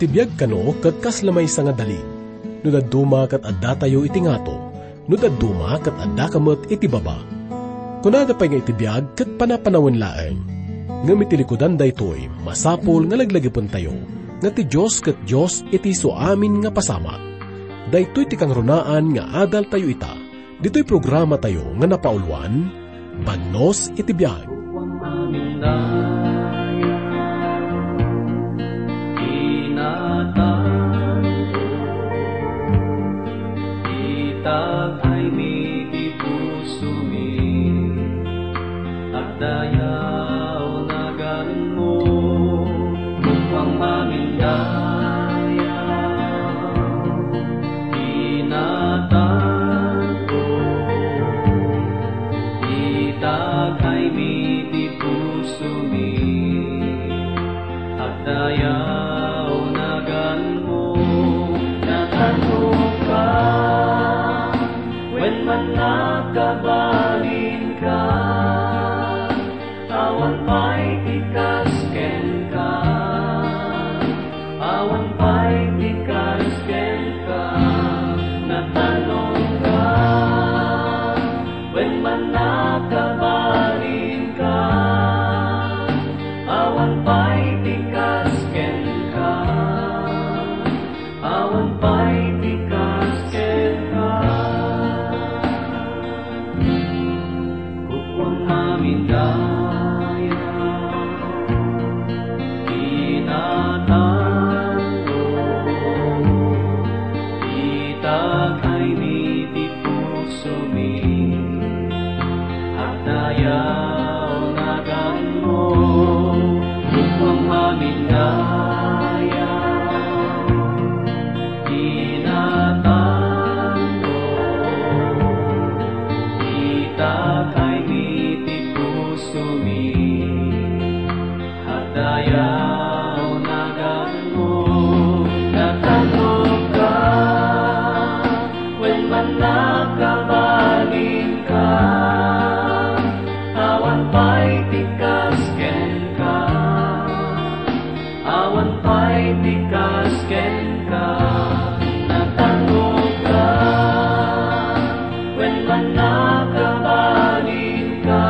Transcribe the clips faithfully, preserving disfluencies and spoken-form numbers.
Ti biag kano ket kasla maysa nga dalig. No dadduma ket addatayo iti ngato, no dadduma ket addaka met iti baba. Kunada pay nga iti biag ket panapanawen laeng. Ngem iti likudan daytoy, masapul nga laglagipentayo nga ti Dios ket Dios iti isu amin nga pasamak. Daytoy ti kangrunaan nga adaltayo ita. Ditoy programatayo nga napauluan, Bannos iti Biag. Inatan, itakaymi ti pusomi, agdayaw naganmo, upang mamindaya. Inatan ko, itakaymi ti pusomi, agdayaw naganmo, natanok ka, wen man nakabalinka. Awan pay ti kas kenka, awan pay ti kas kenka, natanongka, wen man nakabalinka, awan pay ti kas kenka. Awan pay ti kas kenka. Kukuam amin daya, inatanko, itakaymi ti pusomi. Agdayaw naganmo, kukuam amin daya. Inatanko, itakaymi ti pusomi. Agdayaw naganmo, natanokka, wen man nakabalinka, awan pay ti kas kenka, awan pay ti kas kenka, natanokka, wen man nakabalinka,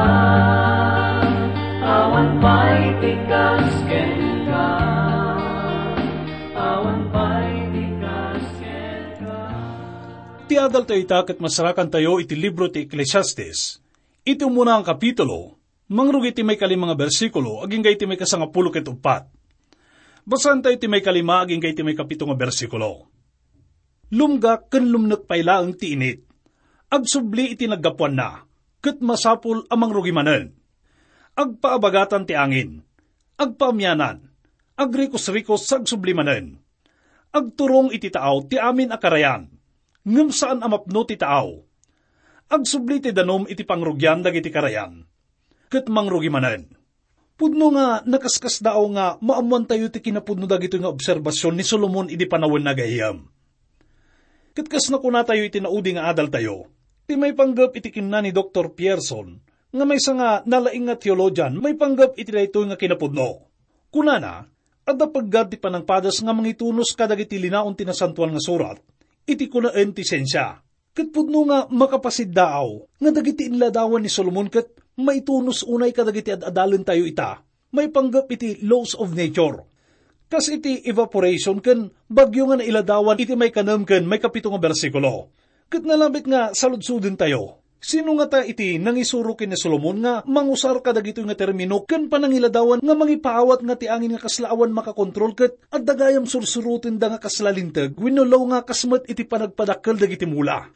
awan pay ti kas kenka, awan pay ti kas kenka. Ti adaltayo ita ket masarakantayo iti libro ti Eclesiastes, iti umuna nga kapitulo, mangrugi ti maikalima nga bersikulo agingga iti maikasangapulo ket uppat. Basaentayo ti maikalima agingga iti maikapito nga bersikulo. Lumgak ken lumnek pay laeng ti init. Agsubli iti naggapuanna, ket masapul a mangrugi manen. Agpaabagatan ti angin, agpaamianan, agrikusrikos sa agsubli manen. Agturong iti taaw ti amin a karayan, ngem saan a mapno ti taaw. Agsubli ti danum iti pangrugian dagiti karayan, ket mangrugi manen. Pudno nga nakaskasdaaw nga maammoantayo ti kinapudno dagitoy nga obserbasion ni Solomon idi panawenna gayyem. Ket kas nakunatayo iti naudi nga adaltayo, ti maipanggep iti kinuna ni Doktor Pierson, nga maysa nga nalaing nga teologian maipanggep iti daytoy nga kinapudno. Kunana, adda peggad ti panangpadas nga mangitunos kadagiti linaon ti Nasantoan nga Surat iti kunaen ti siensia. Ket pudno nga makapasiddaaw nga dagiti inladawan ni Solomon ket maitunos unay kadagiti ad-adalentayo ita, maipanggep iti laws of nature. Kas iti evaporation ken bagyo nga nailadawan iti maikanem ken maikapito nga bersikulo. Ket nalabit nga saludsodentayo, sino ngata iti nangisuro ken ni Solomon nga mangusar kadagitoy nga termino ken panangiladawan nga mangipaawat nga ti angin nga kasla awan makakontrol ket adda gayam sursurotenda nga kasla linteg wenno law nga kas met iti panagpadakkel dagiti mula?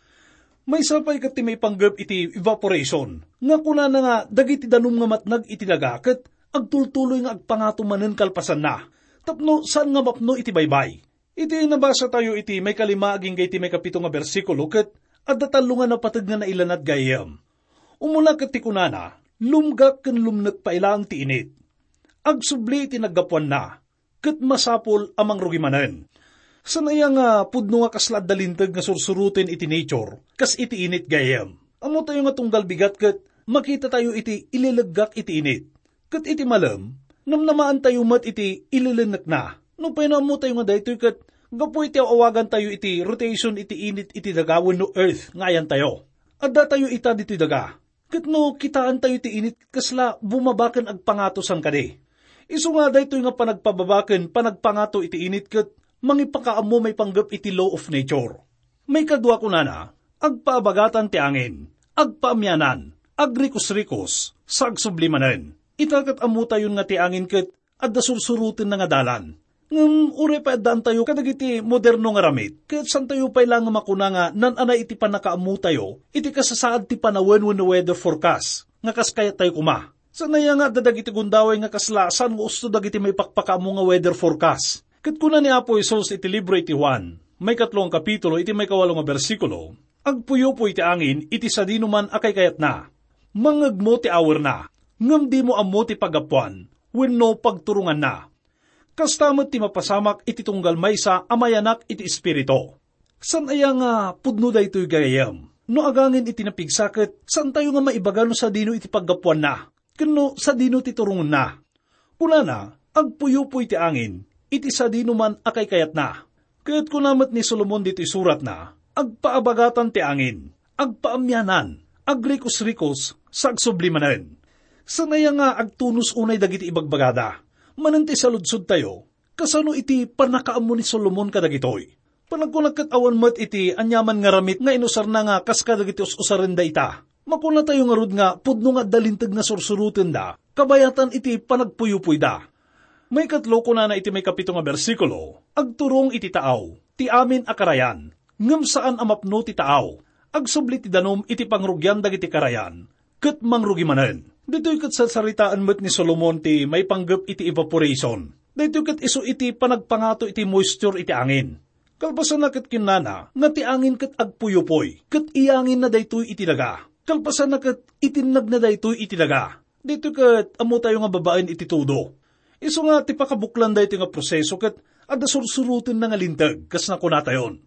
Maysa pay ket ti maipanggep iti evaporation nga kunana nga dagiti danum nga matnag iti daga ket agtultuloy nga agpangato manen kalpasanna tapno saan nga mapno iti baybay. Iti nabasatayo iti maikalima agingga iti maikapito nga bersikulo ket adda tallo nga napateg nga nailanad gayyem. Umuna ket ti kunana, lumgak ken lumnek pay laeng ti init. Agsubli iti naggapuanna, ket masapul a mangrugi manen. Saan aya nga pudno nga kasla adda linteg nga sursuroten iti nature, kas iti init gayyem? Ammotayo nga tunggal bigat ket makitatayo iti ilileggak iti init. Ket iti malem, namnamaantayo met iti ililennekna. Nupay no ammotayo nga daytoy ket gapu iti aw-awagantayo iti rotation iti init iti daga wenno earth nga ayantayo. Addatayo ita ditoy daga. Ket no kitaentayo ti init, kasla bumaba ken agpangato san kadi. Isu nga daytoy nga panagpababa ken panagpangato iti init ket mangipakaammo maipanggep iti law of nature. Maikadua kunana, agpaabagatan ti angin, agpaamianan, agrikusrikos, sa agsubli manen. Ita ket ammotayon nga ti angin ket adda sursurotenna nga dalan. Ngem uray pay addaantayo kadagiti moderno nga ramid, ket santayo pay la nga makuna nga naan-anay iti pannakaammotayo iti kasasaad ti panawen wenno weather forecast nga kas kayattayo koma. Saan aya nga adda dagiti gundaway nga kasla saan nga usto dagiti maipakpakaammo nga weather forecast? Ket kuna ni Apo Jesus iti libro iti Juan, maikatlo nga kapitulo, iti maikawalo nga bersikulo, "Agpuyupoy ti angin iti sadino man a kaykayatna. Mangngegmo ti awerna, ngem dimo ammo ti paggapuan wenno pagturonganna. Kasta met ti mapasamak iti tunggal maysa a mayanak iti Espiritu." Saan aya nga pudno daytoy, gayyem? No agangin iti napigsa ket saantayo nga maibaga no sadino iti paggapuanna, ken no sadino ti turongenna. Kunana, "Agpuyupoy ti angin iti sadino man a kaykayatna." Ket kuna met ni Solomon ditoy suratna, "Agpaabagatan ti angin, agpaamianan, agrikusrikos, sa agsubli manen." Saan aya nga agtunos unay dagiti ibagbagada? Manen ti saludsodtayo, kasano iti pannakaammo ni Solomon kadagitoy? Panagkunak ket awan met iti aniaman nga ramid nga inusarna nga kas kadagiti us-usarenda ita. Makunatayo ngarud nga pudno nga adda linteg nga sursurotenda kabayatan iti panagpuyupoyda. Maikatlo, kunana iti maikapito nga bersikulo, "Agturong iti taaw ti amin a karayan, ngem saan a mapno ti taaw. Agsubli ti danum iti pangrugian dagiti karayan, ket mangrugi manen." Ditoy ket sarsaritaen met ni Solomon ti maipanggep iti evaporation. Daytoy ket isu iti panagpangato iti moisture iti angin. Kalpasanna ket kinnana nga ti angin ket agpuyupoy, ket iyanginna daytoy iti daga. Kalpasanna ket itinnagna daytoy iti daga. Daytoy ket ammotayo nga babaen iti tudo. Isu nga ti pakabuklan daytoy nga proseso ket adda sursurotenna nga linteg, kas nakunatayon.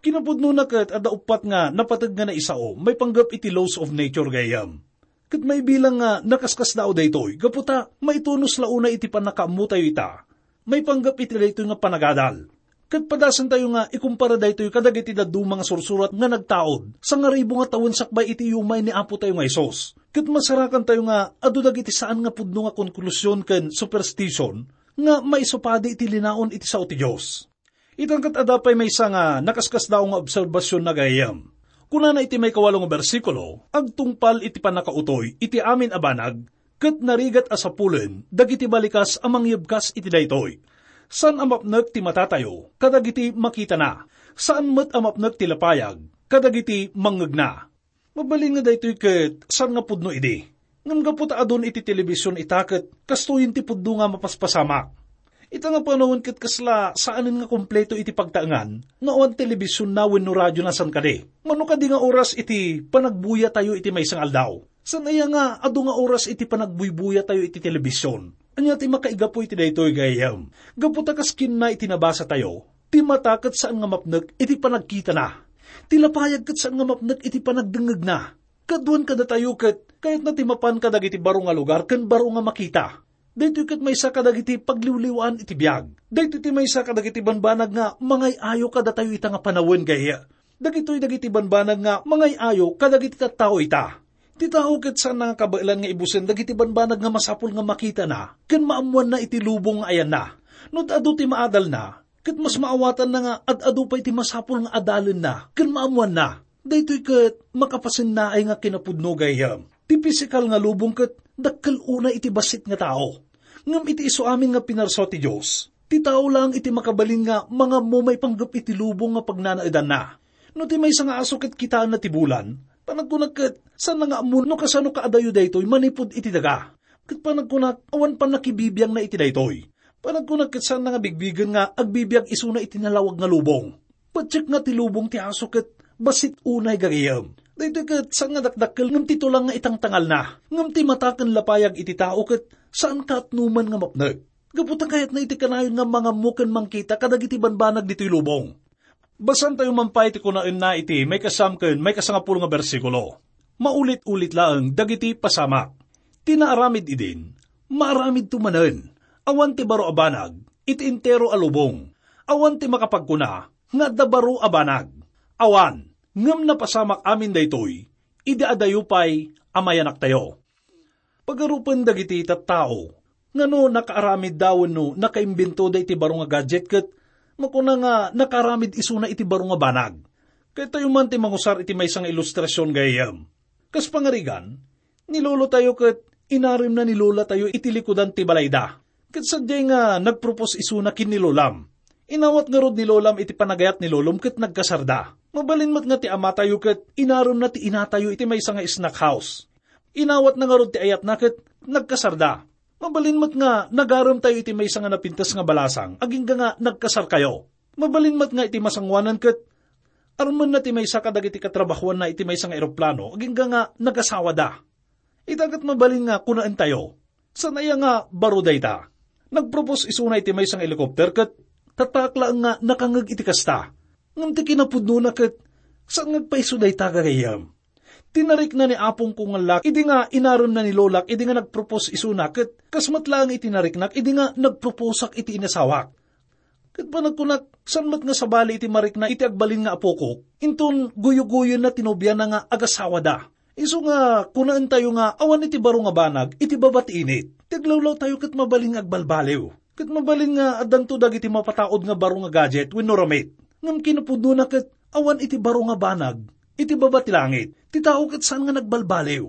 Kinapudnona ket adda uppat nga napateg nga naisao maipanggep iti laws of nature, gayyem. Ket maibilang nga nakaskasdaaw daytoy gapu ta maitunos la unay iti pannakaammotayo ita maipanggep iti daytoy nga panagadal. Ket padasentayo nga ikumpara daytoy kadagiti dadduma nga sursurat nga nagtaud sangaribu nga tawen sakbay iti iumay ni Apotayo nga Jesus. Ket masarakantayo nga adu dagiti saan nga pudno nga konklusion ken superstition nga maisupadi iti linaon iti sao ti Dios. Ita ket adda pay maysa nga nakaskasdaaw nga obserbasion, gayyem. Kunana iti maikawalo nga bersikulo, "Agtungpal iti pannakautoy iti amin a banag, ket narigat a sapulen dagiti balikas a mangyebkas iti daytoy. Saan a mapnek ti matatayo kadagiti makitana, saan met a mapnek ti lapayag kadagiti mangngegna." Mabalin nga daytoy ket saan nga pudno idi. Ngem gapu ta adun iti telebision ita ket kastoyen ti pudno nga mapaspasamak. Ita nga panawen ket kasla saanen nga kompleto iti pagtaengan no awan telebisionna wenno radiona san kadi. Mano kadi nga oras iti panagbuyatayo iti maysa nga aldaw? Saan aya nga adu nga oras iti panagbuyboyatayo iti telebision? Ania ti makaigapu iti daytoy, gayyem? Gapu ta kas kinuna iti nabasatayo, ti mata ket saan nga mapnek iti panagkitana. Ti lapayag ket saan nga mapnek iti panagdengngegna. Kaduan kadatayo ket kayatna ti mapan kadagiti baro nga lugar ken baro nga makita. Daytoy ket maysa kadagiti pagliwliwaan iti biag. Daytoy ti maysa kadagiti banbanag nga mangay-ayo kadatayo ita nga panawen, gayyem. Dagitoy dagiti banbanag nga mangay-ayo kadagiti tattao ita. Ti tao ket saanna nga kabaelan nga ibusen dagiti banbanag nga masapul nga makitana ken maammoanna iti lubong nga ayanna. No ad-adu ti maadalna, ket mas maawatanna nga ad-adu pay ti masapul nga adalenna ken maammoanna. Daytoy ket makapasennaay nga kinapudno, gayyem. Ti pisikal nga lubong ket dakkel unay iti bassit nga tao. Ngem iti isu amin nga pinarsua ti Dios, ti tao laeng iti makabalin nga mangammo maipanggep iti lubong nga pagnanaedanna. No ti maysa nga aso ket kitaenna ti bulan, panagkunak ket saanna nga ammo no kasano kaadayo daytoy manipud iti daga. Ket panagkunak, awan pannakibibiangna iti daytoy. Panagkunak ket saanna nga bigbigen nga agbibiag isuna iti nalawag nga lubong. Patiek nga ti lubong ti aso ket bassit unay, gayyem. Daytoy ket saan nga dakdakkel ngem ti tulang nga itangtangalna, ngem ti mata ken lapayag iti tao ket saan kaatnoman nga mapnek. Gapu ta kayatna iti kanayon nga mangammo ken mangkita kadagiti banbanag ditoy lubong. Basaentayo man pay ti kunaenna iti maikasam ken maikasangapulo nga bersikulo. Maulit-ulit laeng dagiti pasamak. Ti naaramid idin, maaramidto manen. Awan ti baro a banag, iti entero a lubong. Awan ti makapagkuna nga adda baro a banag. Awan, ngem napasamak amin daytoy idi adayo pay a mayanaktayo. Pagarupen dagiti tattao nga no nakaaramidda wenno nakaimbentoda iti baro nga gadget ket makuna nga nakaaramid isuna iti baro nga banag. Kayatyo man ti mangusar iti maysa nga ilustrasion, gayyem. Kas pangarigan, ni lolotayo ket inaremna ni lolatayo iti likudan ti balayda. Ket sadiay nga nagpropose isuna ken ni lolam. Inawat ngarud ni lolam iti panagayat ni lolom ket nagkasarda. Mabalin met nga ti amatayo ket inaremna ti inatayo iti maysa nga snack house. Inawatna ngarud ti ayatna ket nagkasarda. Mabalin met nga nagaremtayo iti maysa nga napintas nga balasang agingga nga nagkasarkayo. Mabalin met nga iti masangoanan ket armenna ti maysa kadagiti katrabahoanna iti maysa nga eroplano agingga nga nagasawada. Ita ket mabalin nga kunaentayo, "Saan aya nga baro dayta?" Nagpropose isuna iti maysa nga helicopter ket tattaak laeng nga nakangngeg iti kasta. Ngem ti kinapudnona ket saan nga agpaiso dayta, gagayyem. Tinarikna ni apongko nga laki idi nga inaremna ni lolak idi nga nagpropose isuna ket kas met laeng iti nariknak idi nga nagproposak iti inasawak. Ket panagkunak, saan met nga sabali iti marikna iti agbalin nga apokok, inton guyoguyoenna ti nobiana nga agasawada. Isu nga kunaentayo nga awan iti baro nga banag iti baba ti init. Ti aglawlawtayo ket mabalin nga agbalbaliw. Ket mabalin nga addanto dagiti mapataud nga baro nga gadget wenno ramit. Ngem kinapudnona ket awan iti baro nga banag iti baba ti langit. Ti tao ket saan nga nagbalbaliw.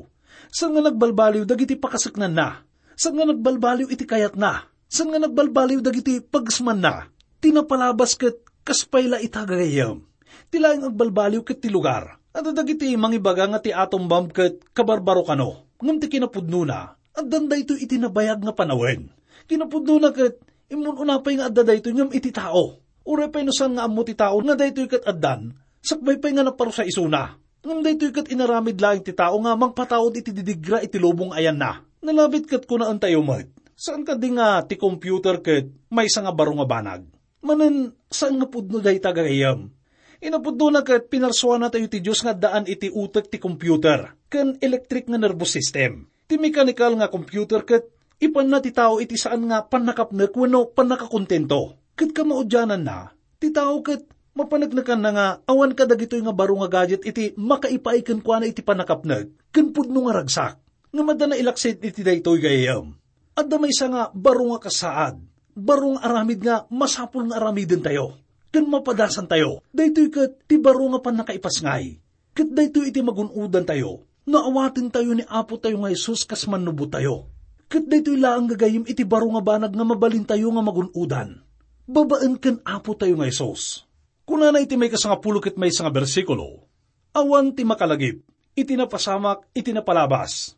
Saan nga nagbalbaliw dagiti pakaseknanna. Saan nga nagbalbaliw iti kayatna. Saan nga nagbalbaliw dagiti pagesmanna. Ti napalabas ket kas pay la ita, gagayyem. Ti laeng agbalbaliw ket ti lugar. Adda dagiti mangibaga nga ti atom bomb ket kabarbaro kano. Ngem ti kinapudnona, addan daytoy iti nabayag nga panawen. Kinapudnona ket immun-una pay nga adda daytoy ngem iti tao. Uray pay no saan nga ammo ti tao nga daytoy ket addan, sakbay pay nga naparusa isuna. Ngem daytoy ket inaramid laeng ti tao nga mangpataud iti didigra iti lubong ayanna. Nalabit ket kunaentayo met, saan kadi nga ti computer ket maysa nga baro nga banag? Manen, saan nga pudno dayta, gagayyem. Inapudnona ket pinarsuanatayo ti Dios nga addaan iti utek ti computer ken electric nga nervous system. Ti mechanical nga computer ket ipanna ti tao iti saan nga pannakapnek wenno pannakakontento. Ket kamaudiananna, ti tao ket mapaneknekanna nga awan kadagitoy nga baro nga gadget iti makaipaay kenkuana iti pannakapnek ken pudno nga ragsak. Ngem adda nailaksid iti daytoy, gayyem. Adda maysa nga baro nga kasaad, baro nga aramid nga masapul nga aramidentayo ken mapadasantayo. Daytoy ket ti baro nga pannakaipasngay. Ket daytoy iti magun-odantayo no awatentayo ni Apotayo nga Jesus kas Mannubotayo. Ket daytoy laeng, gagayyem, iti baro nga banag nga mabalintayo nga magun-odan babaen ken Apotayo nga Jesus. Kunana iti maikasangapulo ket maysa nga bersikulo, "Awan ti makalagip iti napasamak iti napalabas.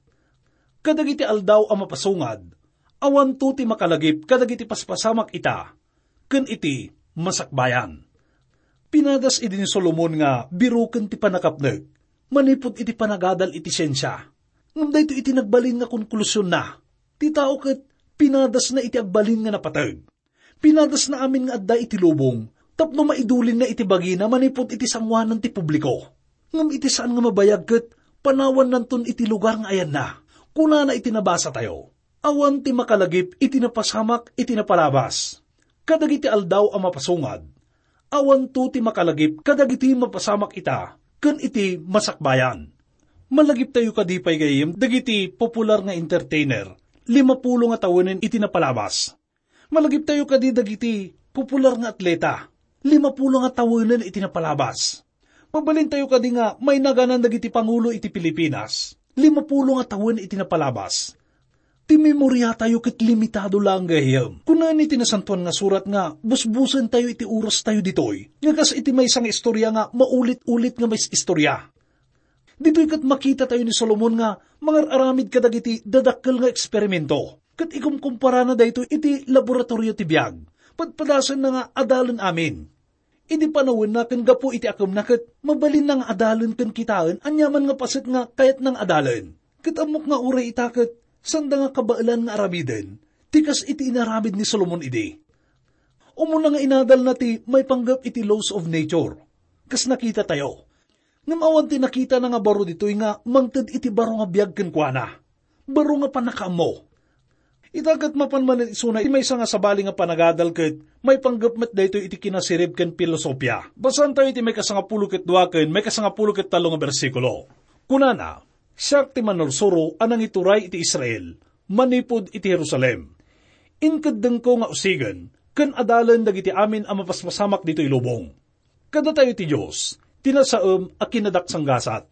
Kadagiti aldaw a mapasungad, awanto ti makalagip kadagiti paspasamak ita ken iti masakbayan." Pinadas idi ni Solomon nga biroken ti pannakapnek manipud iti panagadal iti siensia. Ngem daytoy iti nagbalin nga konklusionna. Ti tao ket pinadasna iti agbalin nga napateg. Pinadasna amin nga adda iti lubong tapno maidulinna iti bagina manipud iti sangoanan ti publiko. Ngem iti saan nga mabayag ket panawannanton iti lugar nga ayanna. Kunana iti nabasatayo, "Awan ti makalagip iti napasamak iti napalabas. Kadagiti aldaw a mapasungad, awanto ti makalagip kadagiti mapasamak ita ken iti masakbayan." Malagiptayo kadi pay, gayyem, dagiti popular nga entertainer, limapulo nga tawenen iti napalabas. Malagiptayo kadi dagiti popular nga atleta, limapulo nga tawenen iti napalabas. Mabalintayo kadi nga mainaganan dagiti pangulo iti Pilipinas, limapulo nga tawen iti napalabas. Ti memoriatayo ket limitado laeng, gayyem. Kunana iti Nasantoan nga Surat nga busbusentayo iti orastayo ditoy, nga kas iti maysa nga istorya nga maulit-ulit nga mais-istorya. Ditoy ket makitatayo ni Solomon nga mangar-aramid kadagiti dadakkel nga eksperimento, ket ikumkumparana daytoy iti laboratorio ti biag. Padpadasenna nga adalen amin. Idi panawenna ken gapu iti akemna ket mabalinna nga adalen ken kitaen aniaman nga paset nga kayatna nga adalen. Ket ammok nga uray ita ket sanda nga kabaelan nga aramiden ti kas iti inaramid ni Solomon idi. Umuna nga inadalna ti maipanggep iti laws of nature, kas nakitatayo. Ngem awan ti nakitana nga baro ditoy nga mangted iti baro nga biag kenkuana. Baro nga pannakaammo. Ita ket mapan manen isuna iti maysa nga sabali nga panagadal ket maipanggep met daytoy iti kinasirib ken pilosopia. Basaentayo iti maikasangapulo ket dua ken maikasangapulo ket tallo nga bersikulo. Kunana, "Siak ti manursuro a nangituray iti Israel manipud iti Jerusalem. Inkeddengko nga usigen ken adalen dagiti amin a mapaspasamak ditoy lubong. Kadatayo ti Dios, ti nasaem a kinadaksanggasat."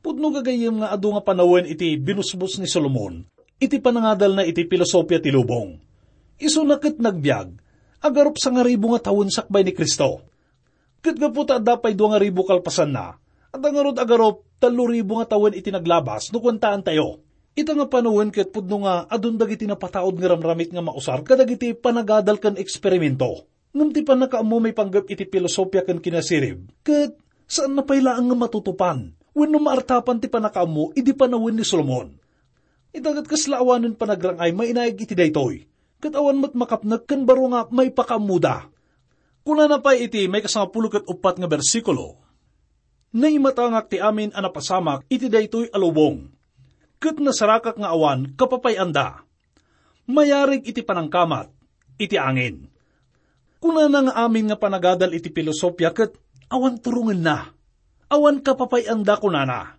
Pudno gagayyem nga adu nga panawen iti binusbos ni Solomon iti panangadalna iti pilosopia ti lubong. Isuna ket nagbiag, agarup sangaribu nga tawen sakbay ni Cristo. Ket gapu ta adda pay dua nga ribu kalpasanna, adda ngarud agarup tallo ribu nga tawen iti naglabas no kuentaentayo. Ita nga panawen ket pudno nga adun dagiti napataud nga ramramit nga mausar kadagiti panagadal ken eksperimento. Ngem ti pannakaammo maipanggep iti pilosopia ken kinasirib, ket saanna pay laeng nga matutupan wenno maartapan ti pannakaammo idi panawen ni Solomon. Ita ket kasla awanen panagrang-ay mainaig iti daytoy, ket awan met makapnek ken baro nga maipakaammoda. Kunana pay iti maikasangapulo ket uppat nga bersikulo, "Naimatangak ti amin a napasamak iti daytoy a lubong, ket nasarakak nga awan kapapay-anda. Mayarig iti panangkamat iti angin." Kunana nga amin nga panagadal iti pilosopia ket awan turongenna. Awan kapapay-anda, kunana.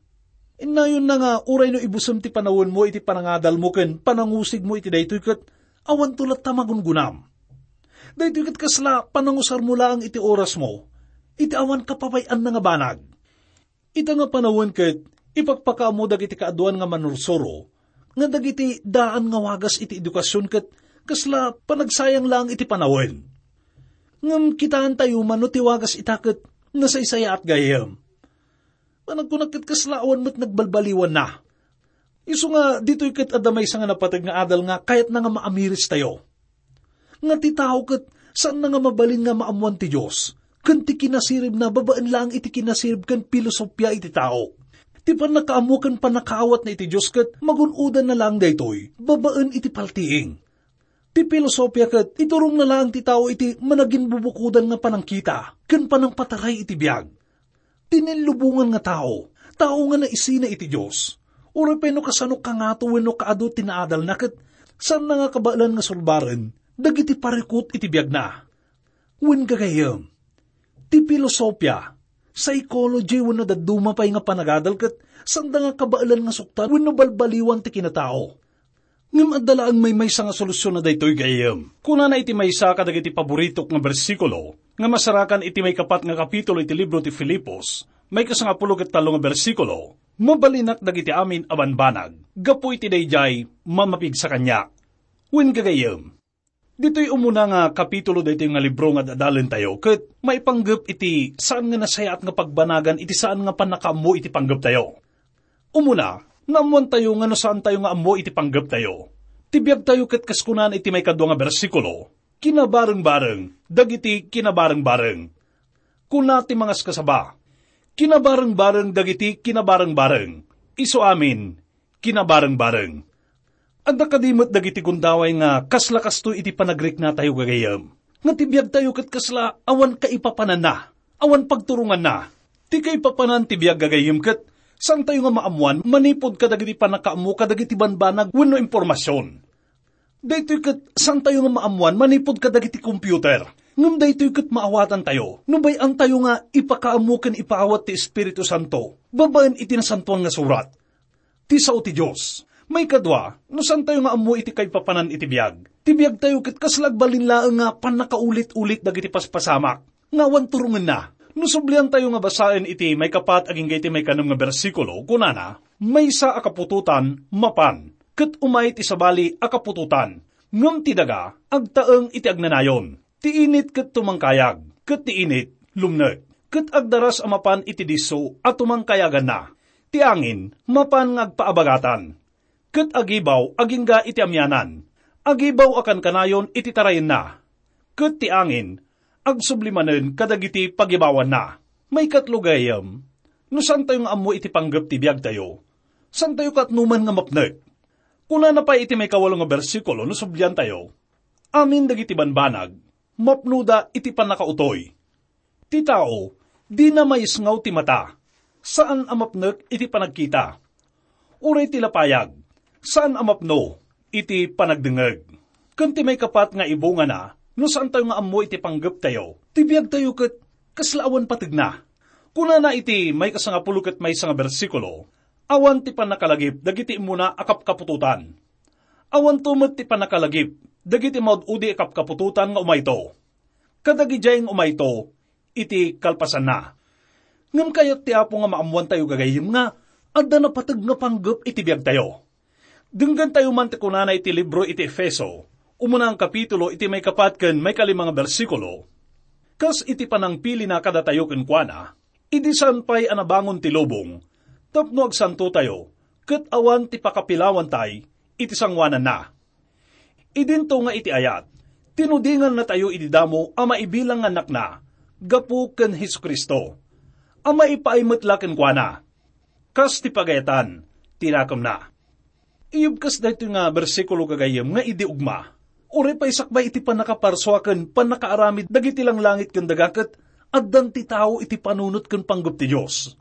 Innayonna nga uray no ibusem ti panawenmo iti panangadalmo ken panangusigmo iti daytoy ket awanto latta magungunam. Daytoy ket kasla panangusarmo laeng iti orasmo iti awan kapapay-anna nga banag. Ita nga panawen ket ipakpakaammo dagiti kaaduan nga manursuro nga dagiti daan nga wagas iti edukasion ket kasla panagsayang laeng iti panawen. Ngem kitaentayo man no ti wagas ita ket nasaysayaat gayam. Panagkunak ket kasla awan met nagbalbaliwanna. Isu nga ditoy ket adda maysa nga napateg nga adal nga kayatna nga maamirestayo. Nga ti tao ket saanna nga mabalin nga maammoan ti Dios ken ti kinasiribna babaen laeng iti kinasirib ken pilosopia iti tao. Ti pannakaammo ken pannakaawatna iti Dios ket magun-odanna laeng daytoy babaen iti paltiing. Ti pilosopia ket iturongna laeng ti tao iti managinbubukodan nga panangkita ken panangpataray iti biag. Ti nillubongan nga tao, tao nga naisina iti Dios. Uray pay no kasano kangato wenno kaadu ti naadalna ket saanna nga kabaelan nga sulbaren dagiti parikut iti biagna. Wen gagayyem, ti filosofia, psychology wenno dadduma pay nga panagadal ket saanda nga kabaelan nga suktan wenno balbaliwan ti kinatao. Ngem adda laeng maymaysa nga solusion a daytoy, gayyem. Kunana iti maysa kadagiti paboritok nga bersikulo nga masarakan iti maikapat nga kapitulo iti libro ti Filipos, maikasangapulo ket tallo nga bersikulo, "Mabalinak dagiti amin a banbanag, gapu iti daydiay mamapigsa kaniak." Wen, gagayyem, ditoy umuna nga kapitulo daytoy nga libro nga ad-adalentayo ket maipanggep iti saan nga nasayaat nga pagbanagan iti saan nga pannakaammo iti panggeptayo. Umuna, naammoantayo nga no saantayo nga ammo iti panggeptayo, ti biagtayo ket kas kunana iti maikadua nga bersikulo, "Kinabarengbareng dagiti kinabarengbareng." Kuna ti mangaskasaba, "Kinabarengbareng dagiti kinabarengbareng." Isu amin, kinabarengbareng. Adda kadi met dagiti gundaway nga kasla kastoy iti panagriknatayo, gagayyem, nga ti biagtayo ket kasla awan kaipapananna, awan pagturonganna. Ti kaipapanan ti biag, gagayyem, ket saantayo nga maammoan manipud kadagiti pannakaammo kadagiti banbanag wenno impormasion. Daytoy ket saantayo nga maammoan manipud kadagiti computer. Ngem daytoy ket maawatantayo no bay-antayo nga ipakaammo ken ipaawat ti Espiritu Santo babaen iti Nasantoan nga Surat. Ti sao ti Dios. Maikadua, no saantayo nga ammo iti kaipapanan iti biag, ti biagtayo ket kasla agbalin laeng nga pannakaulit-ulit dagiti paspasamak nga awan turongenna. No subliantayo nga basaen iti maikapat agingga iti maikanem nga bersikulo, kunana, "Maysa a kaputotan mapan, ket umay ti sabali a kaputotan, ngem ti daga agtaeng iti agnanayon." Ti init ket tumangkayag, ket ti init lumnek, ket agdaras a mapan iti disso a tumangkayaganna. Ti angin mapan nga agpaabagatan, ket agibaw agingga iti amianan, agibaw a kankanayon iti tarayenna, ket ti angin agsubli manen kadagiti pagibawanna. Maikatlo, gayyem, no saantayo nga ammo iti panggep ti biagtayo, saantayo katnoman nga mapnek. Kunana pay iti maikawalo nga bersikulo no subliantayo, "Amin dagiti banbanag, mapnoda iti pannakautoy." Ti tao, dina maisngaw ti mata, saan a mapnek iti panagkita. Uray ti lapayag, saan a mapno, iti panagdengngeg. Ken ti maikapat nga ibungana, no saantayo nga ammo iti panggeptayo, ti biagtayo ket kasla awan pategna. Kunana iti maikasangapulo ket maysa nga bersikulo, "Awan ti pannakalagip dagiti immuna a kapkaputotan. Awanto met ti pannakalagip dagiti maud-udi a kapkaputotan nga umayto. Kadagidiay nga umayto iti kalpasanna." Ngem kayat ti Apo nga maammoantayo, gagayyem, nga adda napateg nga panggep iti biagtayo. Denggantayo man ti kunana iti libro iti Efeso, umuna nga kapitulo, iti maikapat ken maikalima nga bersikulo, "Kas iti panangpilina kadatayo kenkuana, idi saan pay a nabangon ti lubong, tapno agsantotayo, ket awan ti pakapilawantay iti sangoananna. Idinto nga iti ayat, tinudingannatayo idi damo a maibilang nga annakna gapu ken Jesu-Cristo, a maipaay met la kenkuana, kas ti pagayatan ti nakemna." Iyubkas daytoy nga bersikulo, gagayyem, nga idi ugma, uray pay sakbay iti pannakaparsua ken pannakaaramid dagiti langlangit ken daga, ket addan ti tao iti panunot ken panggep ti Dios.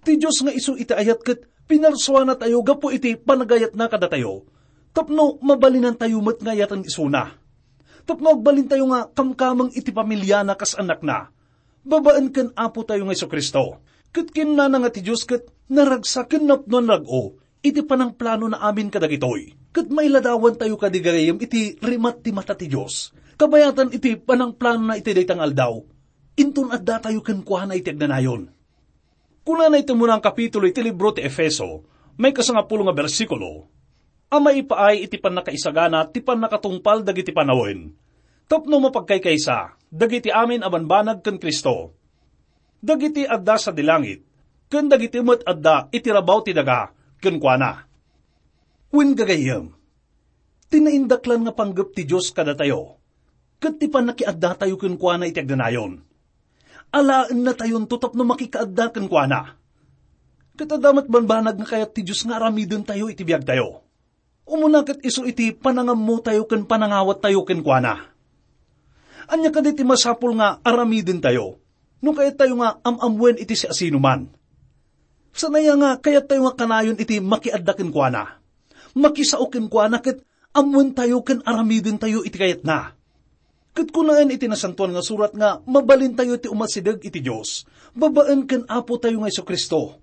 Ti Dios nga isu iti ayat ket pinarsuanatayo gapu iti panagayatna kadatayo, tapno mabalinantayo met nga ayaten isuna. Tapno agbalintayo nga kamkameng iti pamiliana kas annakna, babaen ken Apotayo nga Jesu-Cristo. Ket kinunana nga ti Dios ket naragsak ken napnoan rag-o iti panangplanona amin kadagitoy. Ket mailadawantayo kadi, gagayyem, iti rimat ti mata ti Dios, kabayatan iti panangplanona iti dayta nga aldaw. Inton addatayo kenkuana iti agnanayon. Kunana iti umuna nga kapitulo iti libro ti Efeso, maikasangapulo nga bersikulo, a maipaay iti pannakaisagana ti pannakatungpal dagiti panawen, tapno mapagkaykaysa dagiti amin a banbanag ken Cristo, dagiti adda sadi langit, ken dagiti met adda iti rabaw ti daga kenkuana. Wen, gagayyem, ti naindaklan nga panggep ti Dios kadatayo, ket ti pannakiaddatayo kenkuana iti agnanayon. Alaennatayonto tapno makikaadda kenkuana. Ket adda met banbanag nga kayat ti Dios nga aramidentayo iti biagtayo. Umuna ket isu iti panangammotayo ken panangawattayo kenkuana. Ania kadi ti masapul nga aramidentayo no kayattayo nga am-ammoen iti siasinoman? Saan aya nga kayattayo nga kanayon iti makiadda kenkuana, makisao kenkuana, ket ammoentayo ken aramidentayo iti kayatna? Ket kunaen iti Nasantoan nga Surat nga mabalintayo ti umasideg iti Dios babaen ken Apotayo nga Jesu-Cristo,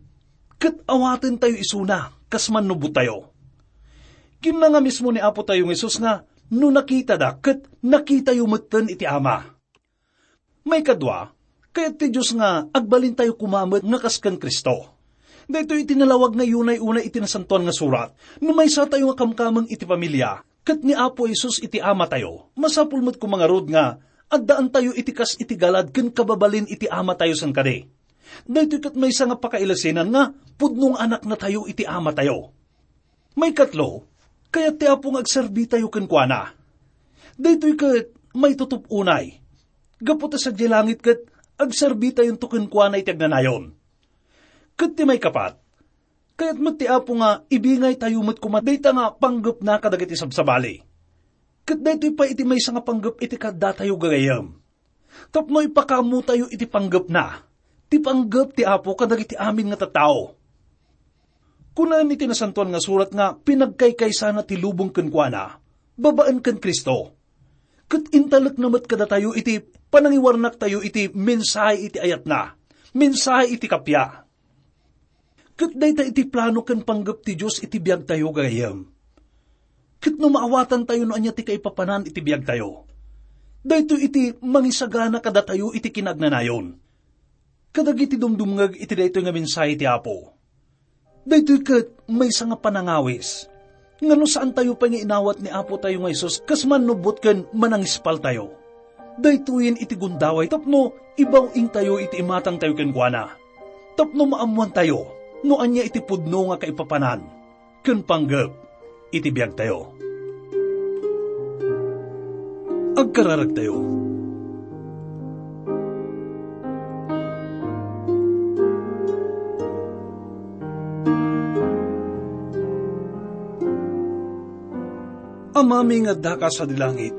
ket awatentayo isuna kas mannubbottayo. Kinuna nga mismo ni Apotayo nga Jesus nga, "No nakitada, ket nakitayo metten iti Ama." Maikadua, kayat ti Dios nga agbalintayo koma met nga kas ken Cristo. Daytoy iti nalawag nga unay-unay iti Nasantoan nga Surat. No maysatayo nga kamkameng iti pamilia, ket ni Apo Jesus iti Amatayo, masapul met koma ngarud nga addaantayo iti kas iti galad ken kababalin iti Amatayo saan kadi. Daytoy ket maysa nga pakailasenan nga pudno nga anaknatayo iti Amatayo. Maikatlo, kayat ti Apo nga agserbitayo kenkuana. Daytoy ket maitutup unay. Gapu ta sadiay langit ket agserbitayonto kenkuana iti agnanayon. Ket ti maikapat, kayat met ti Apo nga ibingaytayo met koma dayta nga panggepna kadagiti sabsabali. Ket daytoy pay iti maysa nga panggep iti kaaddatayo, gagayyem, tapno ipakaammotayo iti panggepna, ti panggep ti Apo kadagiti amin nga tattao. Kunaen iti Nasantoan nga Surat nga pinagkaykaysana ti lubong kenkuana babaen ken Cristo, ket intalekna met kadatayo iti panangiwarnaktayo iti mensahe iti ayatna, mensahe iti kappia. Ket dayta iti plano ken panggep ti Dios iti biagtayo, gagayyem. Ket no maawatantayo no ania ti kaipapanan iti biagtayo, daytoy iti mangisagana kadatayo iti kinaagnanayon. Kadagiti dumdumngeg iti daytoy nga mensahe ti Apo, daytoy ket maysa nga panangawis nga no saantayo pay nga inawat ni Apotayo nga Jesus kas mannubbot ken manangispaltayo, daytoyen iti gundaway tapno ibaw-ingtayo iti imatangtayo kenkuana, tapno maammoantayo no ania iti pudno nga kaipapanan ken panggep iti biagtayo. Agkararagtayo. Amami nga addaka sadi langit,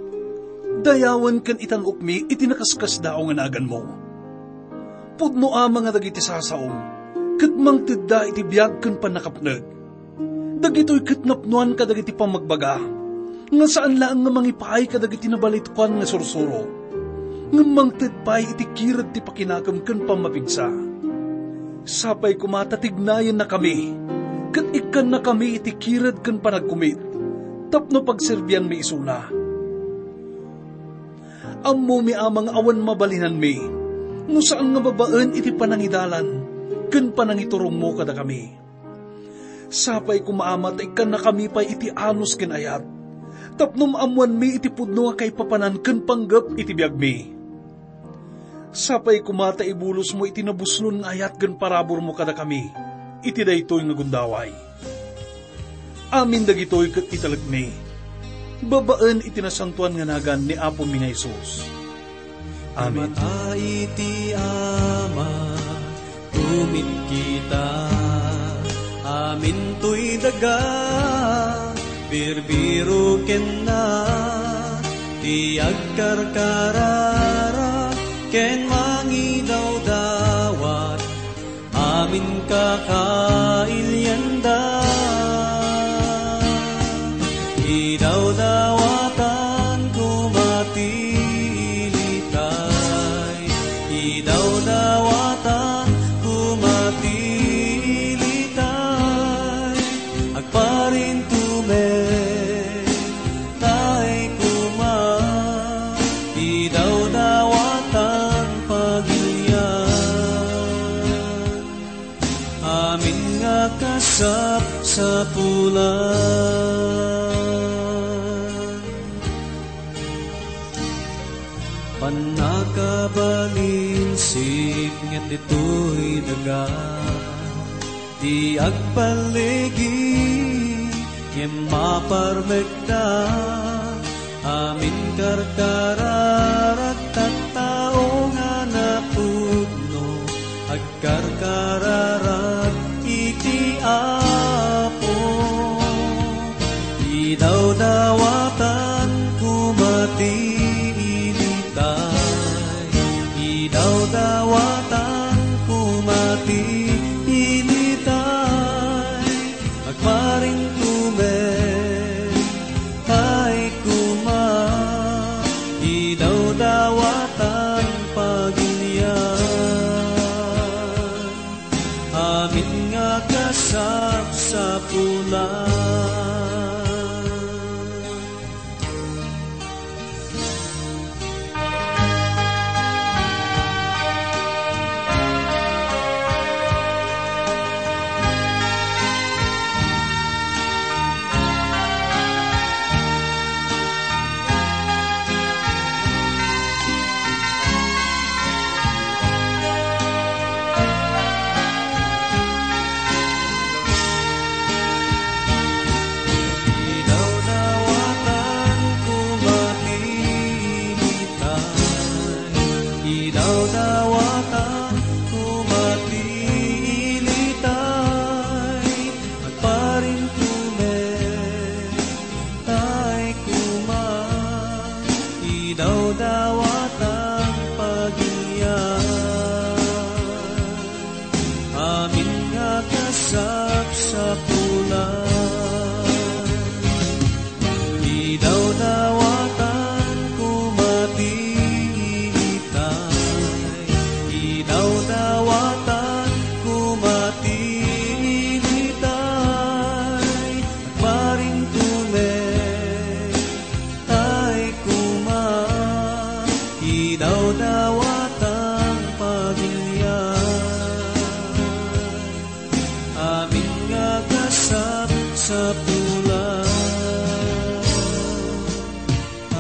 dayawen ken itan-okmi iti nakaskasdaaw nga naganmo. Pudno, Ama, nga dagiti sasaom ket mangtedda iti biag ken pannakapneg. Dagitoy ket napnoan kadagiti pammagbaga, nga saan laeng nga mangipaay kadagiti nabalituan nga sursuro, ngem mangted pay iti kired ti pakinakem ken pammapigsa. Sapay koma ta tignayennakami, ket ikkannakami iti kired ken panagkumit, tapno pagserbianmi isuna. Ammomi, Ama, nga awan mabalinanmi, no saan nga babaen iti panangidalan ken panangiturongmo kadakami. Sapay koma, Ama, ta ikkannakami pay iti anus ken ayat, tapno maammoanmi iti pudno nga kaipapanan ken panggep iti biagmi. Sapay koma ta ibulosmo iti nabuslon nga ayat ken paraburmo kadakami iti daytoy nga gundaway. Amin dagitoy ket italekmi babaen iti nasantoan nga nagan ni Apomi nga Jesus. Amen. Mata iti Ama, tumit kita. Amin toy daga, birbiro kenna, ti agkarkararag ken mangidawdawat. Amin kakailianda, idawdawatan koma ti ilitay, idawdawatan koma ti ilitay, agparintumen. Tay koma, idawdawatan pagilian, amin nga kasapsapulan. Pannakabalin sipnget ditoy daga. Ti agpalligi ngem maparmekda, amin karkararag tattao nga napudno, agkarkararag iti Apo. Idawdawatan koma ti ilitay, idawdawatan koma ti ilitay, agparintumen, tay koma, idawdawatan pagilian, amin nga kasapsapulan. Idawdawatan koma ti ilitay, idawdawatan koma ti ilitay, agparintumen, tay koma, idawdawatan pagilian, amin nga kasapsapulan. Idawdawatan koma ti ilitay, idawdawatan koma ti ilitay, agparintumen, tay koma, idawdawatan pagilian, amin nga kasapsapulan,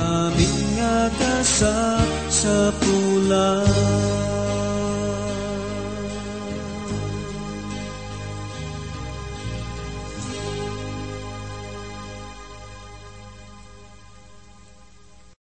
amin nga kasapsapulan.